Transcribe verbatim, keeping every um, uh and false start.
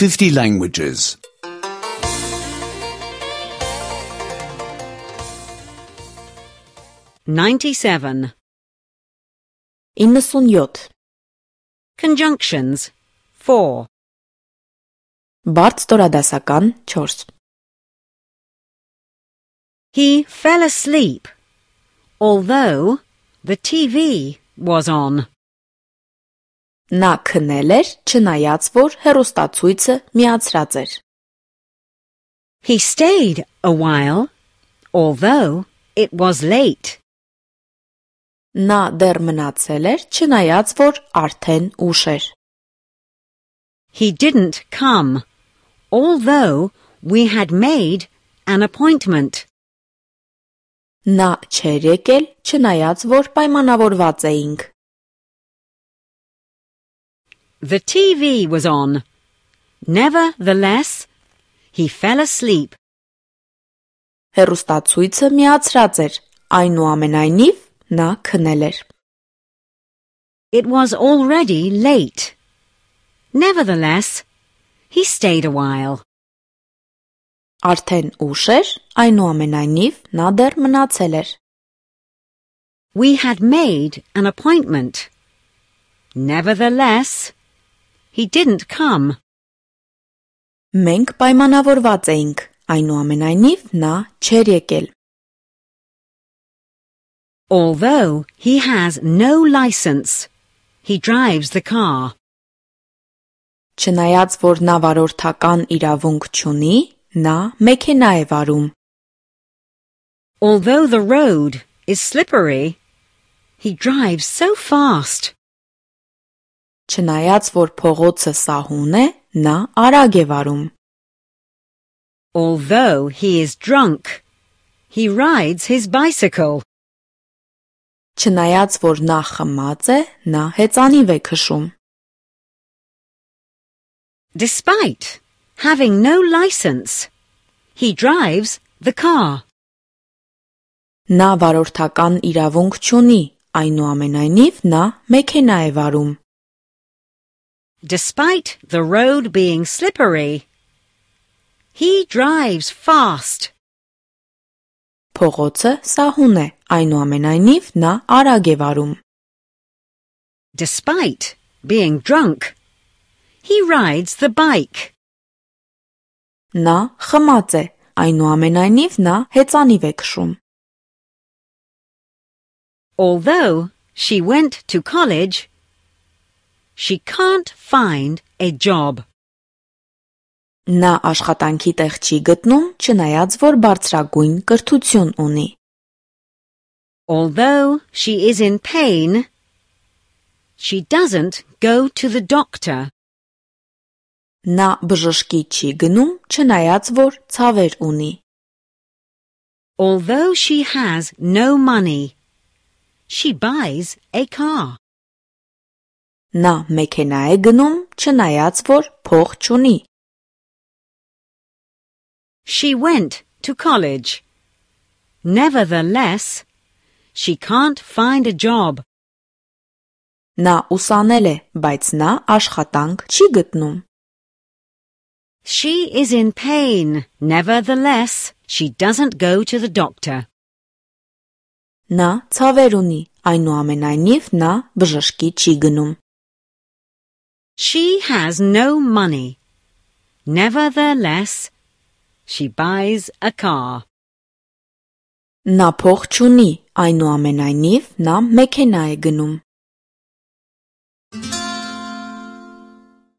fifty languages. ninety-seven. իննսունյոթ. Conjunctions. four. Բարդ ստորադասական չորս. He fell asleep, although the T V was on. Նա քնել էր, չնայած որ հեռուստացույցը միացրած էր. He stayed a while, although it was late. Նա դեռ մնացել էր, չնայած որ արդեն ուշ էր. He didn't come, although we had made an appointment. Նա չէր եկել, չնայած որ պայմանավորված էինք. The T V was on. Nevertheless, he fell asleep. Հեռուստացույցը միացրած էր, այնուամենայնիվ նա քնել էր. It was already late. Nevertheless, he stayed a while. Արդեն ուշ էր, այնուամենայնիվ նա դեռ մնացել էր. We had made an appointment. Nevertheless, he didn't come. Մենք պայմանավորված էինք, այնուամենայնիվ նա չէր եկել. Although he has no license, he drives the car. Չնայած որ նա վարորդական իրավունք չունի, նա մեքենա է վարում. Although the road is slippery, he drives so fast. Չնայած որ փողոցը սահուն է, նա արագ է վարում. Although he is drunk, he rides his bicycle. Չնայած որ նա խմած է, նա հեծանիվ է քշում. Despite having no license, he drives the car. Նա վարորդական իրավունք չունի, այնուամենայնիվ նա մեքենա է վարում. Despite the road being slippery, he drives fast. Փողոցը սահուն է, այնուամենայնիվ նա արագ է վարում. Despite being drunk, he rides the bike. Նա խմած է, այնուամենայնիվ նա հեծանիվ է քշում. Although she went to college, she can't find a job. Նա աշխատանքի տեղ չի գտնում, չնայած որ բարձրագույն կրթություն ունի. Although she is in pain, she doesn't go to the doctor. Նա բժշկի չի գնում, չնայած որ ցավեր ունի. Although she has no money, she buys a car. Նա մեքենա է գնում, չնայած որ փող չունի. She went to college. Nevertheless, she can't find a job. Նա ուսանել է, բայց նա աշխատանք չի գտնում. She is in pain. Nevertheless, she doesn't go to the doctor. Նա ցավեր ունի, այնուամենայնիվ նա բժշկի չի գնում. She has no money. Nevertheless, she buys a car. Նա փող չունի, այնուամենայնիվ նա մեքենա է գնում.